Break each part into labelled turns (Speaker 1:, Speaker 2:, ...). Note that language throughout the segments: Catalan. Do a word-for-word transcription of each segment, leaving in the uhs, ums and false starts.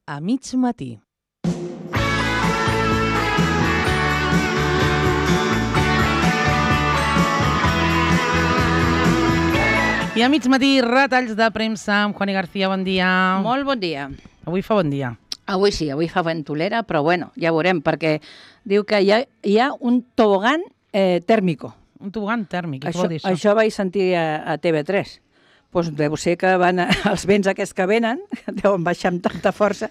Speaker 1: a mig matí. I a mig matí, retalls de premsa amb Juani García, bon dia.
Speaker 2: Molt bon dia.
Speaker 1: Avui fa bon dia.
Speaker 2: Avui sí, avui fa ventolera, però bueno, ja veurem, perquè diu que hi ha, hi ha un tobogan eh, tèrmico.
Speaker 1: Un tobogan tèrmic, què
Speaker 2: Això,
Speaker 1: vol dir això?
Speaker 2: això vaig sentir a, a T V tres. Pues deu ser que van a, els vents aquests que venen, deuen baixar amb tanta força.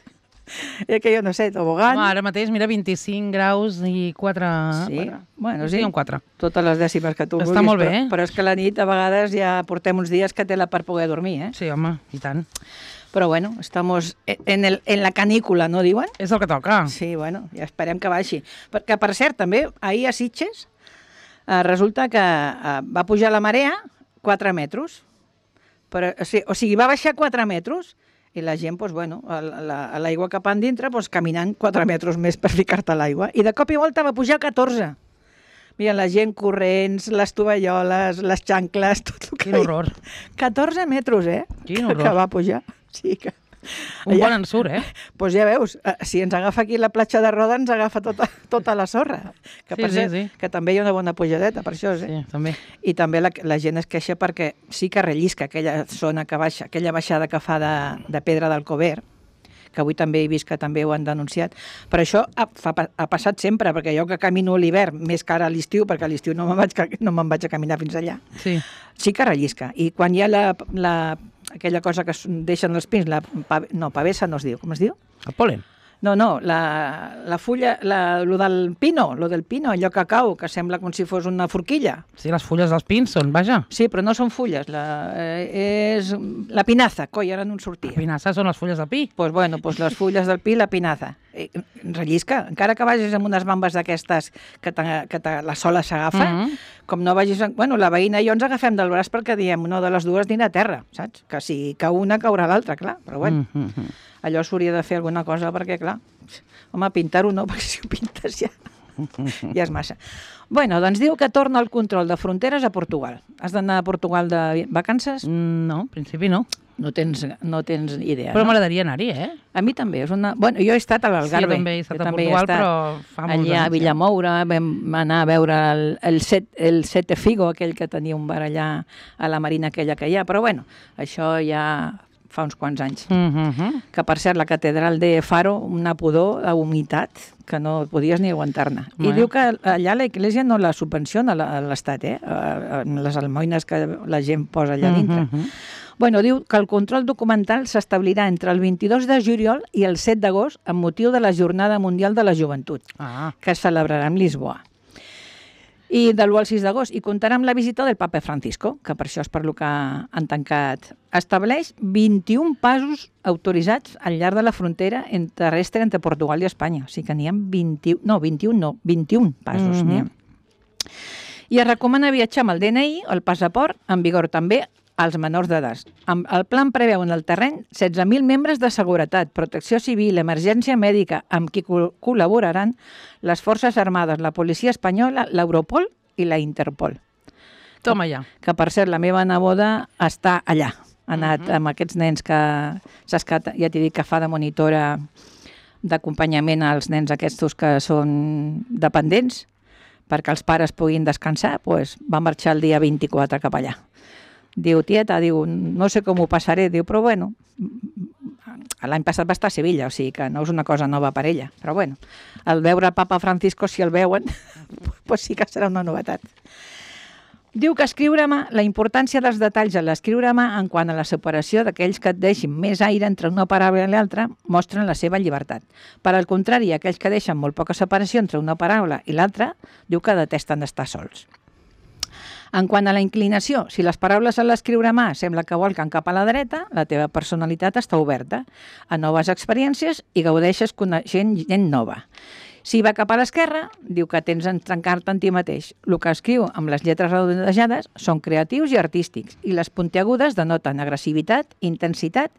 Speaker 2: I que jo no sé, tobogan...
Speaker 1: No, ara mateix, mira, vint-i-cinc graus i quatre...
Speaker 2: Sí,
Speaker 1: quatre.
Speaker 2: bueno, sí.
Speaker 1: Sí, un quatre.
Speaker 2: Totes les dècimes que tu
Speaker 1: Està
Speaker 2: vulguis.
Speaker 1: molt bé,
Speaker 2: però,
Speaker 1: eh?
Speaker 2: però és que la nit a vegades ja portem uns dies que té la per poder dormir, eh?
Speaker 1: Sí, home, i tant.
Speaker 2: Però bueno, estamos en, el, en la canícula, no diuen?
Speaker 1: És el que toca.
Speaker 2: Sí, bueno, ja esperem que baixi. Perquè, per cert, també, ahir a Sitges, eh, resulta que eh, va pujar la marea quatre metres. Però, o, sigui, o sigui, va baixar quatre metres i la gent, doncs, bueno, a la, a l'aigua cap endintre, doncs, caminant quatre metres més per ficar-te a l'aigua. I de cop i volta va pujar catorze. Mira, la gent corrents, les tovalloles, les xancles, tot el que...
Speaker 1: Quin horror.
Speaker 2: catorze metres, eh?
Speaker 1: Quin horror.
Speaker 2: Que va pujar. Sí, que...
Speaker 1: Un
Speaker 2: Allà...
Speaker 1: bon ensurt, eh?
Speaker 2: Doncs pues ja veus, si ens agafa aquí la platja de Roda, ens agafa tota, tota la sorra. Que,
Speaker 1: Sí,
Speaker 2: per
Speaker 1: sí,
Speaker 2: cert,
Speaker 1: sí.
Speaker 2: que també hi ha una bona pujadeta, per això, eh?
Speaker 1: Sí, també.
Speaker 2: I també la, la gent es queixa perquè sí que rellisca aquella zona que baixa, aquella baixada que fa de, de Pedra d'Alcover, que avui també he vist que també ho han denunciat. Però això ha, fa, ha passat sempre, perquè jo que camino a l'hivern, més que ara a l'estiu, perquè a l'estiu no me'n vaig, no me'n vaig a caminar fins allà,
Speaker 1: Sí.
Speaker 2: sí que rellisca. I quan hi ha la, la, aquella cosa que deixen els pins, la pave, no, pavessa no es diu, com es diu?
Speaker 1: El polen.
Speaker 2: No, no, la, la fulla, la, lo del pino, lo del pino, allò que cau, que sembla com si fos una forquilla.
Speaker 1: Sí, les fulles dels pins són, vaja.
Speaker 2: Sí, però no són fulles, la, eh, és la pinaza, coi, ara no en sortia.
Speaker 1: Les pinasses són les fulles de pi.
Speaker 2: Pues bueno, pues les fulles del pi, la pinaza. Eh, rellisca, encara que vagis amb unes bambes d'aquestes que, que te, la sola s'agafa,
Speaker 1: Mm -hmm.
Speaker 2: com no vagis... Bueno, la veïna i jo ens agafem del braç perquè diem una de les dues dina a terra, saps? Que si cau una, caurà l'altra, clar, però bueno.
Speaker 1: Mm -hmm.
Speaker 2: Allò s'hauria de fer alguna cosa perquè, clar, home, pintar-ho no, perquè si ho pintes ja, ja és massa. Bueno, doncs diu que torna el control de fronteres a Portugal. Has d'anar a Portugal de vacances?
Speaker 1: No, en principi no.
Speaker 2: No tens, no tens idea,
Speaker 1: Però
Speaker 2: no?
Speaker 1: m'agradaria anar-hi, eh?
Speaker 2: A mi també. És una... Bueno, jo he estat a l'Algarve.
Speaker 1: Sí, també he estat
Speaker 2: jo
Speaker 1: a
Speaker 2: també
Speaker 1: Portugal,
Speaker 2: he estat
Speaker 1: però fa molts
Speaker 2: allà a
Speaker 1: anys,
Speaker 2: Villamoura, vam anar a veure el, el, set, el Sete Figo, aquell que tenia un bar allà a la marina aquella que hi ha, però bueno, això ja fa uns quants anys.
Speaker 1: Mm -hmm.
Speaker 2: Que, per cert, la catedral de Faro, una pudor, la humitat, que no podies ni aguantar-ne. I diu que allà la Iglesia no la subvenciona l'Estat, eh? Les almoines que la gent posa allà dintre. Mm -hmm. Bueno, diu que el control documental s'establirà entre el vint-i-dos de juliol i el set d'agost amb motiu de la Jornada Mundial de la Joventut,
Speaker 1: Ah.
Speaker 2: que es celebrarà en Lisboa. I de l'u al sis d'agost. I comptarà amb la visita del papa Francisco, que per això és per lo que han tancat. Estableix vint-i-un passos autoritzats al llarg de la frontera terrestre entre Portugal i Espanya. O sigui que n'hi ha vint-i-un, no, vint-i-un no, vint-i-un passos mm -hmm. n'hi ha. I es recomana viatjar amb el D N I, el passaport, en vigor també, als menors d'edat. El plan preveu en el terreny setze mil membres de seguretat, protecció civil, emergència mèdica, amb qui col·laboraran les Forces Armades, la Policia Espanyola, l'Europol i la Interpol.
Speaker 1: Toma ja.
Speaker 2: Que, per cert, la meva neboda està allà. Ha anat uh -huh. amb aquests nens que, saps que ja t'he dit que fa de monitora d'acompanyament als nens aquests que són dependents, perquè els pares puguin descansar, doncs va marxar el dia vint-i-quatre cap allà. Diu, tieta, diu, no sé com ho passaré, diu, però bueno, l'any passat va estar a Sevilla, o sigui que no és una cosa nova per ella, però bueno, al veure el papa Francisco, si el veuen, doncs sí que serà una novetat. Diu que escriure a mà, la importància dels detalls en l'escriure a mà en quant a la separació d'aquells que et deixin més aire entre una paraula i l'altra mostren la seva llibertat. Per al contrari, aquells que deixen molt poca separació entre una paraula i l'altra, diu que detesten estar sols. En quant a la inclinació, si les paraules a l'escriure a mà sembla que volquen cap a la dreta, la teva personalitat està oberta a noves experiències i gaudeixes coneixent gent nova. Si va cap a l'esquerra, diu que tens en trencar-te en ti mateix. El que escriu amb les lletres redonejades són creatius i artístics, i les puntiagudes denoten agressivitat, intensitat,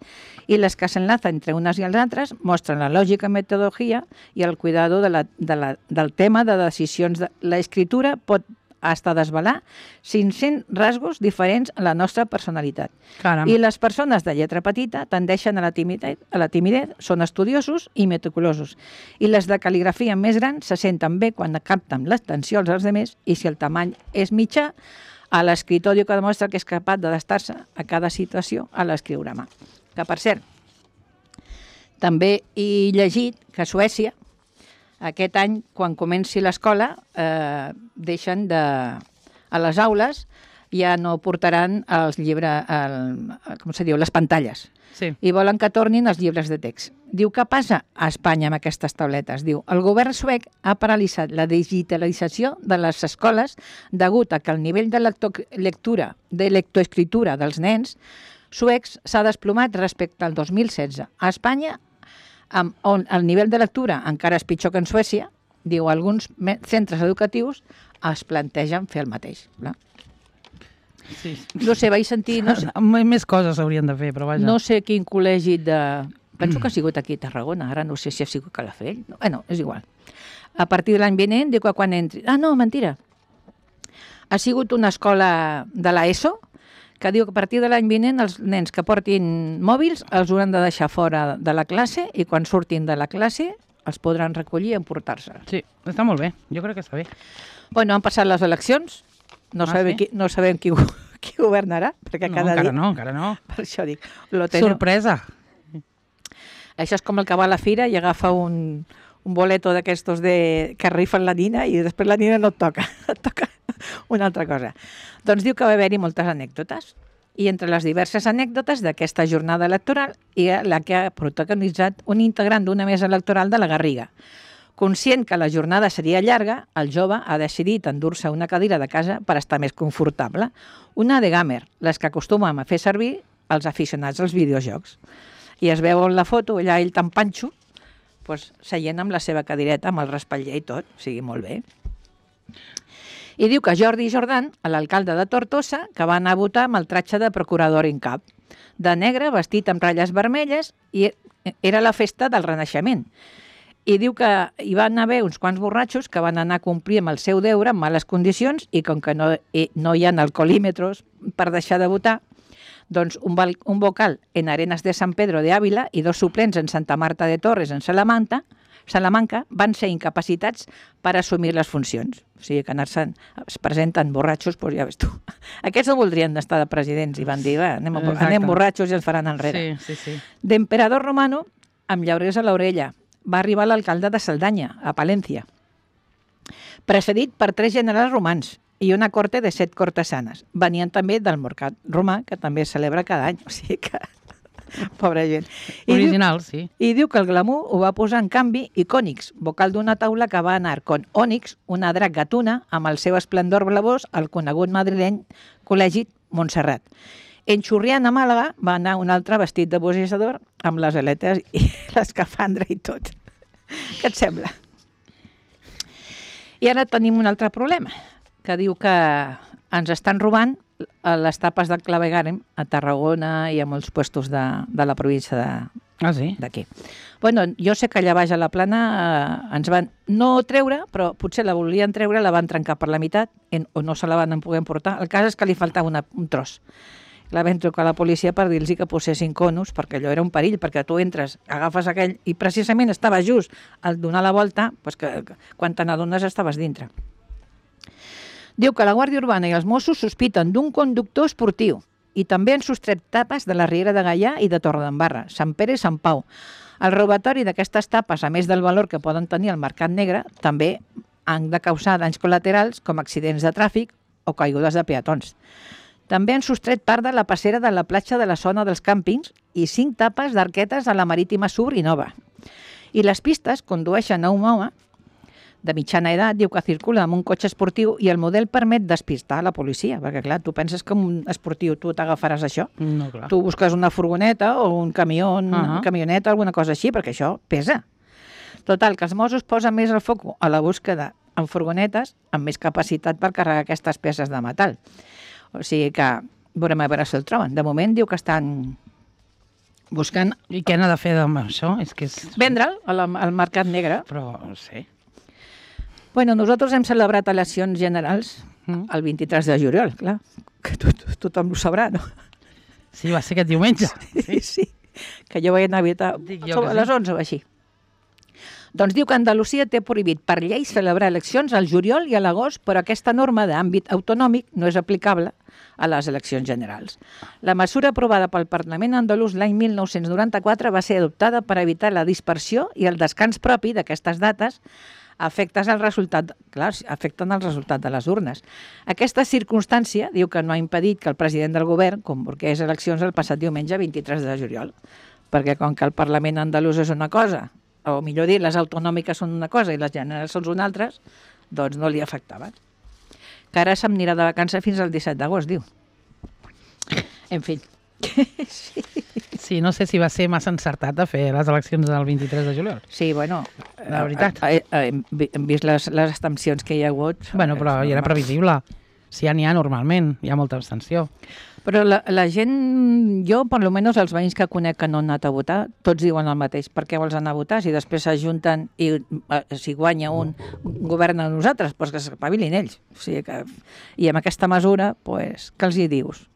Speaker 2: i les que s'enlacen entre unes i els altres mostren la lògica, metodologia i el cuidado de la, de la, del tema de decisions. De... L'escriptura pot hasta desvelar cinc-cents rasgos diferents en la nostra personalitat.
Speaker 1: Caram.
Speaker 2: I les persones de lletra petita tendeixen a la timidesa, a la timidesa, són estudiosos i meticulosos. I les de cal·ligrafia més grans se senten bé quan capten l'atenció als altres i si el tamany és mitjà, a l'escriptor diu que demostra que és capaç d'adaptar-se a cada situació a l'escriure a mà. Que, per cert, també he llegit que a Suècia, aquest any, quan comenci l'escola, eh, deixen de... a les aules ja no portaran els llibres, el, com se diu, les pantalles.
Speaker 1: Sí.
Speaker 2: I volen que tornin els llibres de text. Diu, què passa a Espanya amb aquestes tauletes? Diu, el govern suec ha paralitzat la digitalització de les escoles degut a que el nivell de lectura, de lectoescriptura dels nens suecs s'ha desplomat respecte al dos mil setze. A Espanya, on el nivell de lectura encara és pitjor que en Suècia, diu, alguns centres educatius es plantegen fer el mateix. No?
Speaker 1: Sí.
Speaker 2: No sé, vaig sentir... No sé,
Speaker 1: més coses s'haurien de fer, però vaja.
Speaker 2: No sé quin col·legi de... Penso que ha sigut aquí a Tarragona, ara no sé si ha sigut Calafell. No, bueno, és igual. A partir de l'any vinent, diu que quan entri... Ah, no, mentira. Ha sigut una escola de l'ESO que diu que a partir de l'any vinent els nens que portin mòbils els hauran de deixar fora de la classe i quan surtin de la classe els podran recollir i emportar-se.
Speaker 1: Sí, està molt bé. Jo crec que està bé.
Speaker 2: Bueno, han passat les eleccions. No, ah, sabem, sí? qui, no sabem qui, qui governarà, perquè
Speaker 1: no,
Speaker 2: cada
Speaker 1: encara
Speaker 2: dia...
Speaker 1: no, encara no.
Speaker 2: Per això dic... Lo teniu...
Speaker 1: Sorpresa.
Speaker 2: Això és com el que va a la fira i agafa un, un boleto d'aquestos de... que rifen la nina i després la nina no et toca, et toca una altra cosa. Doncs diu que va haver-hi moltes anècdotes i entre les diverses anècdotes d'aquesta jornada electoral hi ha la que ha protagonitzat un integrant d'una mesa electoral de la Garriga. Conscient que la jornada seria llarga, el jove ha decidit endur-se una cadira de casa per estar més confortable. Una de gamer, les que acostumem a fer servir els aficionats als videojocs. I es veu en la foto, allà ell tan panxo, doncs, seient amb la seva cadireta, amb el respatller i tot, o sigui, molt bé. I diu que Jordi Jordan, l'alcalde de Tortosa, que va anar a votar amb el tratge de procurador en cap, de negre, vestit amb ratlles vermelles, i era la festa del Renaixement. I diu que hi van haver uns quants borratxos que van anar a complir amb el seu deure en males condicions i com que no, no hi ha alcoholímetres per deixar de votar, doncs un, un vocal en Arenas de San Pedro de Ávila i dos suplents en Santa Marta de Torres en Salamanca, Salamanca van ser incapacitats per assumir les funcions. O sigui que anar-se'n, es presenten borratxos, doncs ja ves tu. Aquests no voldrien estar de presidents i van dir, va, anem, anem borratxos i ens faran enrere.
Speaker 1: Sí, sí, sí.
Speaker 2: D'emperador romano, amb llaurers a l'orella, va arribar l'alcalde de Cerdanya, a Palència, precedit per tres generals romans i una corte de set cortesanes. Venien també del mercat romà, que també es celebra cada any, o sigui que... Pobra gent. I
Speaker 1: original,
Speaker 2: diu,
Speaker 1: sí.
Speaker 2: I diu que el glamour ho va posar en canvi icònics, vocal d'una taula que va anar con Ònix, una drac gatuna, amb el seu esplendor blavós, al conegut madrileny Col·legi Montserrat. En Xurrián, a Màlaga, va anar un altre vestit de boxejador amb les aletes i l'escafandra i tot. Què et sembla? I ara tenim un altre problema, que diu que ens estan robant les tapes del claveguarem a Tarragona i a molts puestos de, de la província de,
Speaker 1: ah, sí?
Speaker 2: d'aquí. Bueno, jo sé que allà baix a la plana eh, ens van no treure, però potser la volien treure, la van trencar per la meitat en, o no se la van poder emportar. El cas és que li faltava una, un tros. La vam trucar a la policia per dir-los que posessin conos, perquè allò era un perill, perquè tu entres, agafes aquell, i precisament estava just al donar la volta, doncs que, que quan te n'adones estaves dintre. Diu que la Guàrdia Urbana i els Mossos sospiten d'un conductor esportiu i també han sostret tapes de la Riera de Gaià i de Torredembarra, Sant Pere i Sant Pau. El robatori d'aquestes tapes, a més del valor que poden tenir al mercat negre, també han de causar danys col·laterals com accidents de tràfic o caigudes de peatons. També han sostret part de la passera de la platja de la zona dels càmpings i cinc tapes d'arquetes a la Marítima Sur i Nova. I les pistes condueixen a un home de mitjana edat, diu que circula amb un cotxe esportiu i el model permet despistar la policia, perquè clar, tu penses que amb un esportiu tu t'agafaràs això?
Speaker 1: No, clar.
Speaker 2: Tu busques una furgoneta o un camió, uh -huh. una camioneta, alguna cosa així, perquè això pesa. Total, que els Mossos posen més el foc a la búsqueda en furgonetes amb més capacitat per carregar aquestes peces de metall. O sigui que veurem a veure si el troben. De moment diu que estan buscant...
Speaker 1: I què n'ha de fer amb això? És que és...
Speaker 2: Vendre'l al, al mercat negre.
Speaker 1: Però, no sé...
Speaker 2: Bueno, nosaltres hem celebrat eleccions generals
Speaker 1: Mm.
Speaker 2: el vint-i-tres de juliol, clar, que tot, tothom ho sabrà, no?
Speaker 1: Sí, va ser aquest diumenge.
Speaker 2: Sí, sí, que jo vaig anar a visitar
Speaker 1: Dic jo que
Speaker 2: a
Speaker 1: sí.
Speaker 2: les onze o així. Doncs diu que Andalusia té prohibit per llei celebrar eleccions al juliol i a l'agost, però aquesta norma d'àmbit autonòmic no és aplicable a les eleccions generals. La mesura aprovada pel Parlament andalús l'any mil nou-cents noranta-quatre va ser adoptada per evitar la dispersió i el descans propi d'aquestes dates afectes al resultat, clar, afecten el resultat de les urnes. Aquesta circumstància diu que no ha impedit que el president del govern convoqués eleccions el passat diumenge vint-i-tres de juliol, perquè com que el Parlament andalús és una cosa, o millor dir, les autonòmiques són una cosa i les generals són una altra, doncs no li afectaven. Que ara se'm anirà de vacances fins al disset d'agost, diu. En fi. Sí.
Speaker 1: Sí, no sé si va ser massa encertat de fer les eleccions del vint-i-tres de juliol.
Speaker 2: Sí, bueno,
Speaker 1: La veritat.
Speaker 2: eh, eh, hem vi- hem vist les, les abstencions que hi ha hagut.
Speaker 1: Bueno, però
Speaker 2: És
Speaker 1: ja era
Speaker 2: normal.
Speaker 1: previsible. Si ja n'hi ha normalment, hi ha molta abstenció.
Speaker 2: Però la, la gent, jo, per almenys els veïns que conec que no han anat a votar, tots diuen el mateix. Per què vols anar a votar? Si després s'ajunten i eh, si guanya un, governa nosaltres, doncs que s'espavilin ells. O sigui que, I amb aquesta mesura, doncs, què els hi dius?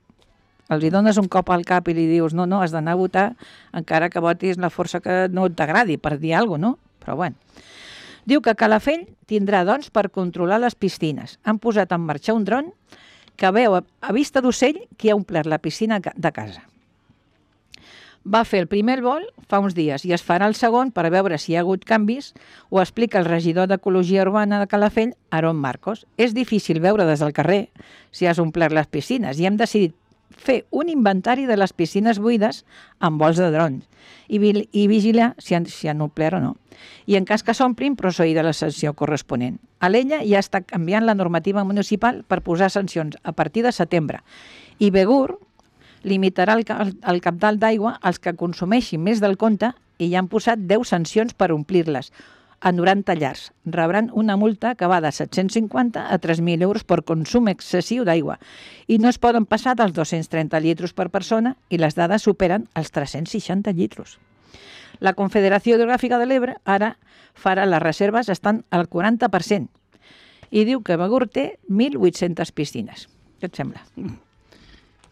Speaker 2: Els hi dones un cop al cap i li dius no, no, has d'anar a votar encara que votis la força que no t'agradi, per dir alguna cosa, no? Però bueno. Diu que Calafell tindrà dons per controlar les piscines. Han posat en marxa un dron que veu a, a vista d'ocell qui ha omplert la piscina de casa. Va fer el primer vol fa uns dies i es farà el segon per veure si hi ha hagut canvis, ho explica el regidor d'Ecologia Urbana de Calafell, Aaron Marcos. És difícil veure des del carrer si has omplert les piscines i hem decidit fer un inventari de les piscines buides amb vols de drons i, i vigilar si han, si han omplert o no. I en cas que s'omplin, procedir de la sanció corresponent. A l'Ella ja està canviant la normativa municipal per posar sancions a partir de setembre. I Begur limitarà el, el, el cabdal d'aigua als que consumeixin més del compte i ja han posat deu sancions per omplir-les a noranta llars. Rebran una multa que va de set-cents cinquanta a tres mil euros per consum excessiu d'aigua i no es poden passar dels dos-cents trenta litres per persona i les dades superen els tres-cents seixanta litres. La Confederació Hidrogràfica de l'Ebre ara farà les reserves estan al quaranta per cent i diu que Begur té mil vuit-centes piscines. Què et sembla?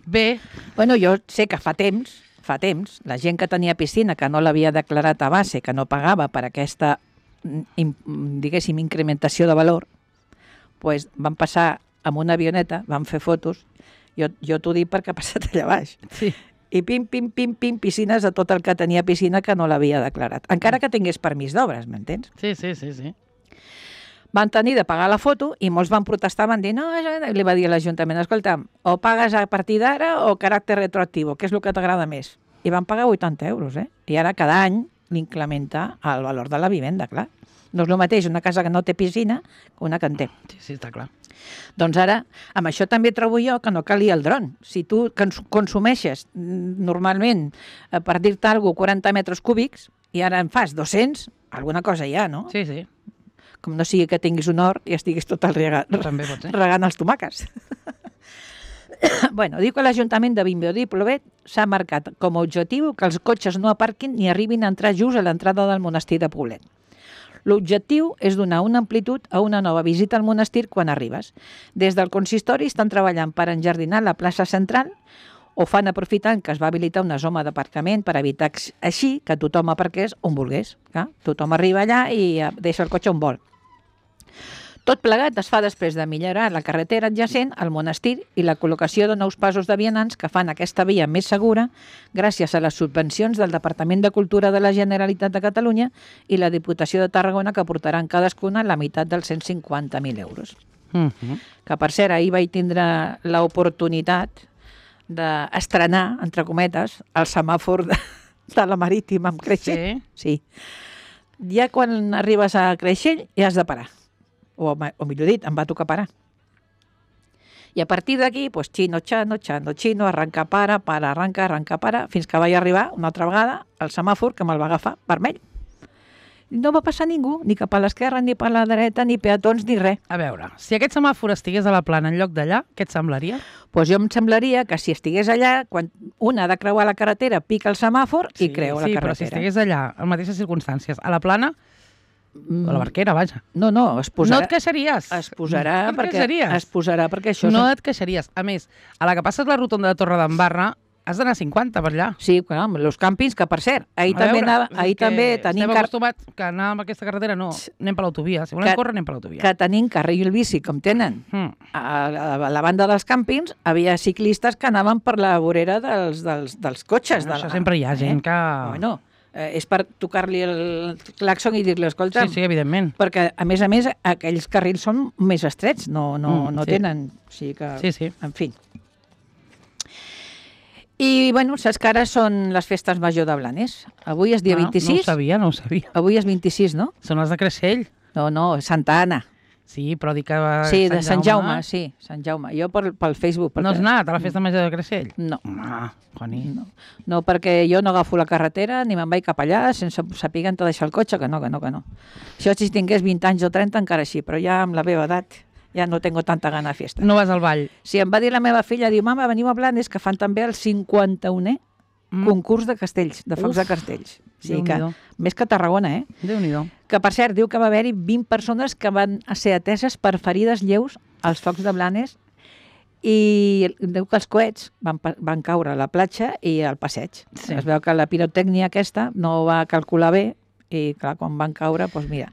Speaker 1: Bé,
Speaker 2: Bueno, jo sé que fa temps, fa temps, la gent que tenia piscina, que no l'havia declarat a base, que no pagava per aquesta, diguéssim, incrementació de valor, pues van passar amb una avioneta, van fer fotos, jo, jo t'ho dic perquè ha passat allà baix,
Speaker 1: sí.
Speaker 2: i pim, pim, pim, pim, piscines de tot el que tenia piscina que no l'havia declarat, encara que tingués permís d'obres, m'entens?
Speaker 1: Sí, sí, sí, sí.
Speaker 2: Van tenir de pagar la foto i molts van protestar, van dir, no, li va dir a l'Ajuntament, escolta, o pagues a partir d'ara o caràcter retroactiu, què és el que t'agrada més? I van pagar vuitanta euros, eh? I ara cada any l'incrementa el valor de la vivenda, clar. No és el mateix una casa que no té piscina que una que en té.
Speaker 1: Sí, sí, està clar.
Speaker 2: Doncs ara, amb això també trobo jo que no calia el dron. Si tu consumeixes normalment, per dir-te alguna cosa, quaranta metres cúbics, i ara en fas dos-cents, alguna cosa hi ha, no?
Speaker 1: Sí, sí.
Speaker 2: Com no sigui que tinguis un hort i estiguis tot el regant,
Speaker 1: També pot ser.
Speaker 2: regant els tomàquets. Bueno, diu que l'Ajuntament de Vimbodí i Plovet s'ha marcat com a objectiu que els cotxes no aparquin ni arribin a entrar just a l'entrada del monestir de Poblet. L'objectiu és donar una amplitud a una nova visita al monestir quan arribes. Des del consistori estan treballant per enjardinar la plaça central o fan aprofitant que es va habilitar una zona d'aparcament per evitar així que tothom aparqués on volgués. Clar, tothom arriba allà i deixa el cotxe on vol. Tot plegat es fa després de millorar la carretera adjacent al monestir i la col·locació de nous passos de vianants que fan aquesta via més segura gràcies a les subvencions del Departament de Cultura de la Generalitat de Catalunya i la Diputació de Tarragona que portaran cadascuna la meitat dels cent cinquanta mil euros.
Speaker 1: Uh-huh.
Speaker 2: Que per cert, ahir vaig tindre l'oportunitat d'estrenar, entre cometes, el semàfor de, de la Marítima amb Creixell.
Speaker 1: Sí.
Speaker 2: Sí. Ja quan arribes a Creixell ja has de parar. O, o millor dit, em va tocar parar. I a partir d'aquí, pues, xino, xano, xano, xino, arranca, para, para, arranca, arranca, para, fins que vaig arribar una altra vegada al semàfor que me'l va agafar vermell. No va passar ningú, ni cap a l'esquerra, ni per la dreta, ni peatons, ni res.
Speaker 1: A veure, si aquest semàfor estigués a la plana en lloc d'allà, què et semblaria?
Speaker 2: Doncs pues jo em semblaria que si estigués allà, quan una ha de creuar la carretera, pica el semàfor
Speaker 1: Sí,
Speaker 2: i creu
Speaker 1: sí,
Speaker 2: la
Speaker 1: però si
Speaker 2: carretera.
Speaker 1: estigués allà, en mateixes circumstàncies, a la plana, O la barquera, vaja.
Speaker 2: No, no, es posarà...
Speaker 1: No et queixaries.
Speaker 2: Es posarà,
Speaker 1: no et
Speaker 2: perquè,
Speaker 1: queixaries.
Speaker 2: es posarà perquè això...
Speaker 1: No
Speaker 2: és...
Speaker 1: et queixaries. A més, a la que passes la rotonda de Torre d'Embarra, has d'anar a cinquanta per allà.
Speaker 2: Sí, clar, amb els càmpings, que per cert, ahir
Speaker 1: A
Speaker 2: també,
Speaker 1: veure,
Speaker 2: anava,
Speaker 1: és
Speaker 2: ahir
Speaker 1: que
Speaker 2: també tenim...
Speaker 1: Estem
Speaker 2: car-
Speaker 1: acostumats que anar amb aquesta carretera no, anem per l'autovia. Si volem
Speaker 2: Que-
Speaker 1: córrer, anem per l'autovia.
Speaker 2: que tenim carril bici, com tenen
Speaker 1: Mm.
Speaker 2: a la, a la banda dels càmpings, havia ciclistes que anaven per la vorera dels, dels, dels cotxes.
Speaker 1: Bueno,
Speaker 2: de la...
Speaker 1: això sempre hi ha gent que...
Speaker 2: Bueno, eh, és per tocar-li el claxon i dir-li, escolta,
Speaker 1: Sí, sí, evidentment.
Speaker 2: perquè, a més a més, aquells carrils són més estrets, no, no,
Speaker 1: Mm,
Speaker 2: no
Speaker 1: sí.
Speaker 2: tenen... O sigui que,
Speaker 1: Sí, sí.
Speaker 2: En fi. I, bueno, saps que ara són les festes major de Blanes. Avui és dia
Speaker 1: Ah,
Speaker 2: vint-i-sis.
Speaker 1: No ho sabia, no ho sabia.
Speaker 2: Avui és vint-i-sis, no?
Speaker 1: Són les de Creixell.
Speaker 2: No, no, Santa Anna.
Speaker 1: Sí, però dic que... va
Speaker 2: Sí, de Sant Jaume, sí, Sant Jaume. Jo per, pel Facebook.
Speaker 1: No has anat a la festa major de Creixell?
Speaker 2: No.
Speaker 1: Ah, Juaní.
Speaker 2: No, no, perquè jo no agafo la carretera ni me'n vaig cap allà sense saber de deixar el cotxe, que no, que no, que no. Això si tingués vint anys o trenta encara sí, però ja amb la meva edat ja no tengo tanta gana de fiesta.
Speaker 1: No vas al ball.
Speaker 2: Si em va dir la meva filla, diu, mama, veniu a Blanes, que fan també el cinquanta-unè
Speaker 1: Mm.
Speaker 2: concurs de castells, de focs
Speaker 1: Uf,
Speaker 2: de castells. O sigui que,
Speaker 1: Déu-n'hi-do.
Speaker 2: més que a Tarragona, eh?
Speaker 1: Déu-n'hi-do.
Speaker 2: Que, per cert, diu que va haver-hi vint persones que van ser ateses per ferides lleus als focs de Blanes i diu que els coets van, pa- van caure a la platja i al passeig.
Speaker 1: Sí.
Speaker 2: Es veu que la pirotècnia aquesta no va calcular bé i, clar, quan van caure, doncs mira.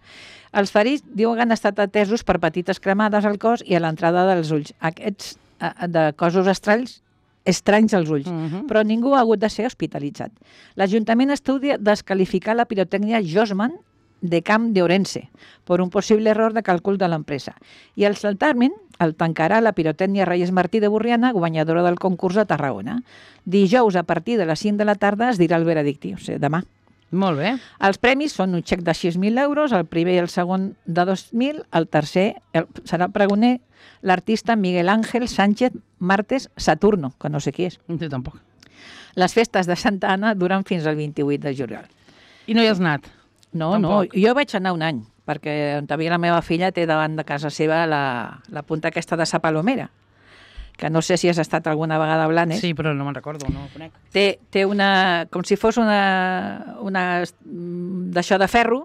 Speaker 2: Els ferits diuen que han estat atesos per petites cremades al cos i a l'entrada dels ulls. Aquests eh, de cossos estranys, estranys als ulls,
Speaker 1: Mhm.
Speaker 2: però ningú ha hagut de ser hospitalitzat. L'Ajuntament estudia descalificar la pirotècnia Josman de Camp de Orense per un possible error de càlcul de l'empresa. I el certamen el tancarà la pirotècnia Reyes Martí de Borriana, guanyadora del concurs de Tarragona. Dijous, a partir de les cinc de la tarda, es dirà el veredicte, o sigui, demà.
Speaker 1: Molt bé.
Speaker 2: Els premis són un xec de sis mil euros, el primer i el segon de dos mil, el tercer el, serà pregoner l'artista Miguel Ángel Sánchez Martes Saturno, que no sé qui és.
Speaker 1: Jo tampoc.
Speaker 2: Les festes de Santa Anna duren fins al vint-i-vuit de juliol.
Speaker 1: I no hi has anat?
Speaker 2: No,
Speaker 1: Tampoc.
Speaker 2: no, jo vaig anar un any, perquè on havia la meva filla té davant de casa seva la, la punta aquesta de Sa Palomera, que no sé si has estat alguna vegada a Blanes.
Speaker 1: Sí, però no me'n recordo, no ho conec.
Speaker 2: Té, té una, com si fos una, una mm, d'això de ferro,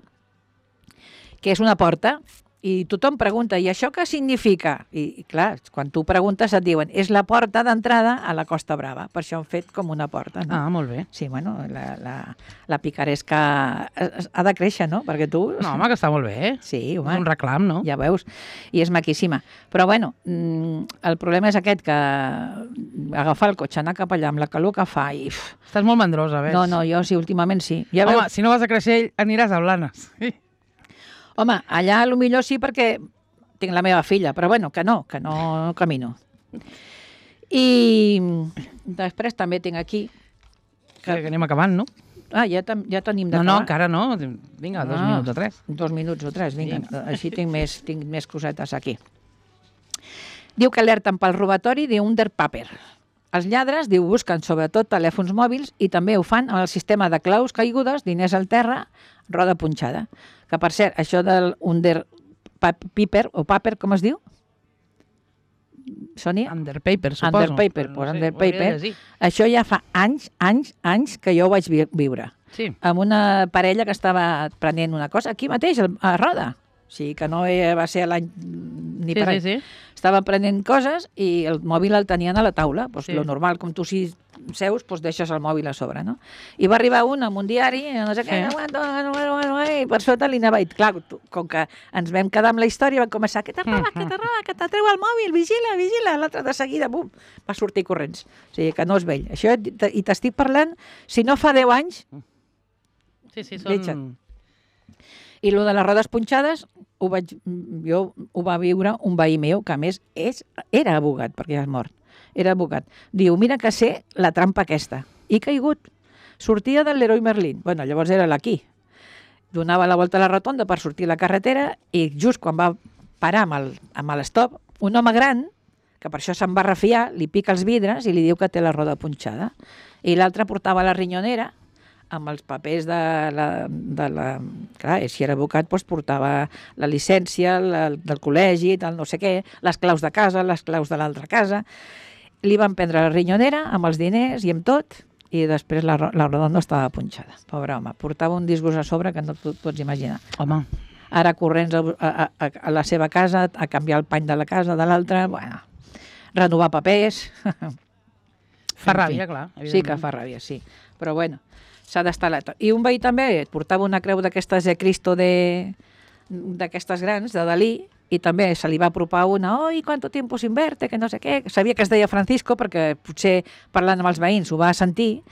Speaker 2: que és una porta, i tothom pregunta, i això què significa? I, i clar, quan tu preguntes et diuen, és la porta d'entrada a la Costa Brava, per això han fet com una porta, no?
Speaker 1: Ah, molt bé.
Speaker 2: Sí, bueno, la, la, la picaresca ha de créixer, no? Perquè tu...
Speaker 1: No, home, que està molt bé, eh?
Speaker 2: Sí,
Speaker 1: És
Speaker 2: home,
Speaker 1: un reclam, no?
Speaker 2: ja veus, i és maquíssima. Però bueno, mm, el problema és aquest, que agafar el cotxe, anar cap allà amb la calor que fa i... uf,
Speaker 1: Estàs molt mandrosa, ves?
Speaker 2: no, no, jo sí, últimament sí. Ja
Speaker 1: Home,
Speaker 2: veus,
Speaker 1: si no vas a Creixell, aniràs a Blanes. Sí.
Speaker 2: home, allà a lo millor sí perquè tinc la meva filla, però bueno, que no, que no camino. I després també tinc aquí...
Speaker 1: Que, que anem acabant, no?
Speaker 2: Ah, ja, tam- ja tenim
Speaker 1: No,
Speaker 2: d'acabar.
Speaker 1: no, encara no. Vinga, dos
Speaker 2: Ah.
Speaker 1: minuts o tres.
Speaker 2: Dos minuts o tres, vinga.
Speaker 1: Vinga.
Speaker 2: Així tinc més, tinc més cosetes aquí. Diu que alerten pel robatori d'Underpaper. Els lladres, diu, busquen sobretot telèfons mòbils i també ho fan amb el sistema de claus caigudes, diners al terra, roda punxada. Que, per cert, això del Underpaper, o paper, com es diu? Sònia?
Speaker 1: Underpaper, suposo.
Speaker 2: Underpaper,
Speaker 1: Però
Speaker 2: pues
Speaker 1: sé,
Speaker 2: Underpaper.
Speaker 1: ho hauria de llegir.
Speaker 2: Això ja fa anys, anys, anys que jo ho vaig vi- viure.
Speaker 1: Sí.
Speaker 2: Amb una parella que estava prenent una cosa aquí mateix, al- a Roda. O sigui, que no va ser l'any ni
Speaker 1: Sí,
Speaker 2: per
Speaker 1: sí,
Speaker 2: any.
Speaker 1: sí.
Speaker 2: Estava prenent coses i el mòbil el tenien a la taula. Pues
Speaker 1: Sí.
Speaker 2: lo normal, com tu si seus, pues deixes el mòbil a sobre, no? I va arribar un amb un diari, no sé què,
Speaker 1: Sí.
Speaker 2: no aguanto, no, no, no, i per sota li anava. I clar, tu- com que ens vam quedar amb la història, va començar, que te roba, que te roba, que te treu el mòbil, vigila, vigila. L'altre de seguida, bum, va sortir corrents. O sigui, que no és vell. Això, i t'estic parlant, si no fa deu anys,
Speaker 1: Sí, sí,
Speaker 2: Deixa't.
Speaker 1: són...
Speaker 2: i lo de les rodes punxades, ho vaig, jo ho va viure un veí meu, que a més és, era abogat, perquè ja és mort. Era abogat. Diu, mira que sé la trampa aquesta. I he caigut. Sortia del Leroy Merlin. Bueno, llavors era l'aquí. Donava la volta a la rotonda per sortir a la carretera i just quan va parar amb el, amb l'estop, un home gran, que per això se'n va refiar, li pica els vidres i li diu que té la roda punxada. I l'altre portava la rinyonera amb els papers de la... De la clar, si era advocat, doncs portava la llicència la, del col·legi, del no sé què, les claus de casa, les claus de l'altra casa. Li van prendre la rinyonera amb els diners i amb tot, i després la, ro- la roda no estava punxada. Pobre home, portava un disgust a sobre que no t'ho pots imaginar.
Speaker 1: Home,
Speaker 2: ara corrents a, a, a, a la seva casa, a canviar el pany de la casa de l'altra, bueno, renovar papers...
Speaker 1: Fa ràbia, clar.
Speaker 2: Sí que fa ràbia, sí. Però bueno, s'ha d'estar alerta. I un veí també et portava una creu d'aquestes de Cristo de d'aquestes grans, de Dalí, i també se li va apropar una, oi, quanto tiempo sin verte, que no sé què. Sabia que es deia Francisco perquè potser parlant amb els veïns ho va sentir,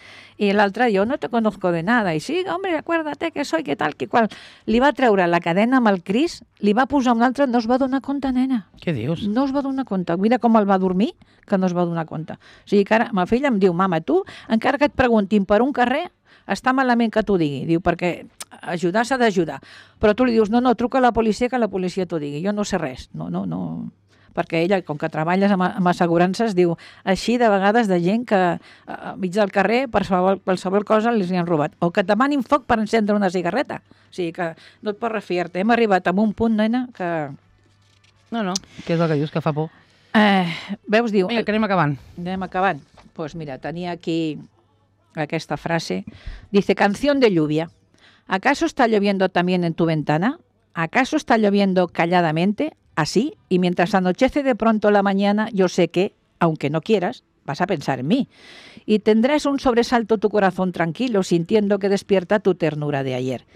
Speaker 2: i l'altre, jo no te conozco de nada, i sí, hombre, acuérdate que soy, que tal, que qual. Li va treure la cadena amb el Cris, li va posar un altre, no es va donar compte, nena.
Speaker 1: Què dius?
Speaker 2: No es va donar compte. Mira com el va dormir, que no es va donar compte. O sigui que ara, ma filla em diu, mama, tu, encara que et preguntin per un carrer, està malament que t'ho digui. Diu, perquè ajudar s'ha d'ajudar. Però tu li dius, no, no, truca a la policia, que la policia t'ho digui. Jo no sé res. No, no, no. Perquè ella, com que treballes amb, amb assegurances, diu, així de vegades de gent que a mig del carrer, per qualsevol, qualsevol cosa, els hi han robat. O que et demanin foc per encendre una cigarreta. O sigui que no et pots refiar-te. Hem arribat a un punt, nena, que...
Speaker 1: No, no, què és el que dius, que fa por?
Speaker 2: Eh, veus, diu...
Speaker 1: Vinga, que anem acabant.
Speaker 2: Anem acabant. Doncs pues mira, tenia aquí aquesta frase. Dice, canción de lluvia. ¿Acaso está lloviendo también en tu ventana? ¿Acaso está lloviendo calladamente, así? Y mientras anochece de pronto la mañana, yo sé que, aunque no quieras, vas a pensar en mí. Y tendrás un sobresalto tu corazón tranquilo, sintiendo que despierta tu ternura de ayer.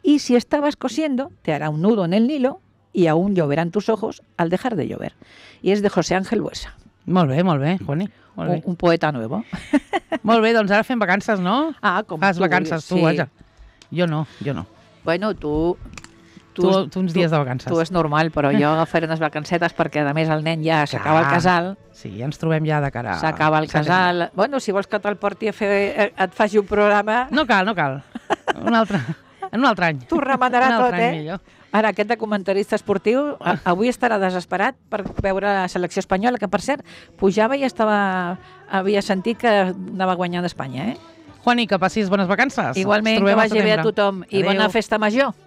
Speaker 2: Y si estabas cosiendo, te hará un nudo en el Nilo y aún lloverán tus ojos al dejar de llover. Y es de José Ángel Buesa.
Speaker 1: Molt bé, molt bé, Juani. Molt bé.
Speaker 2: Un, un poeta nuevo.
Speaker 1: Molt bé, doncs ara fem vacances, no?
Speaker 2: Ah, com
Speaker 1: Fas
Speaker 2: tu
Speaker 1: vacances, tu,
Speaker 2: sí.
Speaker 1: vaja. Jo no, jo no.
Speaker 2: Bueno, tu...
Speaker 1: Tu, tu uns dies de vacances.
Speaker 2: Tu és normal, però jo agafaré unes vacancetes perquè, a més, el nen ja s'acaba el casal.
Speaker 1: Sí, ja ens trobem ja de cara...
Speaker 2: S'acaba el casal. Bueno, si vols que te'l porti a fer... et faci un programa...
Speaker 1: No cal, no cal. Un altre, en un altre any.
Speaker 2: T'ho remenarà tot,
Speaker 1: any,
Speaker 2: eh?
Speaker 1: Millor.
Speaker 2: Ara, aquest de comentarista esportiu a, avui estarà desesperat per veure la selecció espanyola, que, per cert, pujava i estava... havia sentit que anava guanyant Espanya, eh?
Speaker 1: Juani, que passis bones vacances.
Speaker 2: Igualment, que vagi bé a tothom. I bona festa major.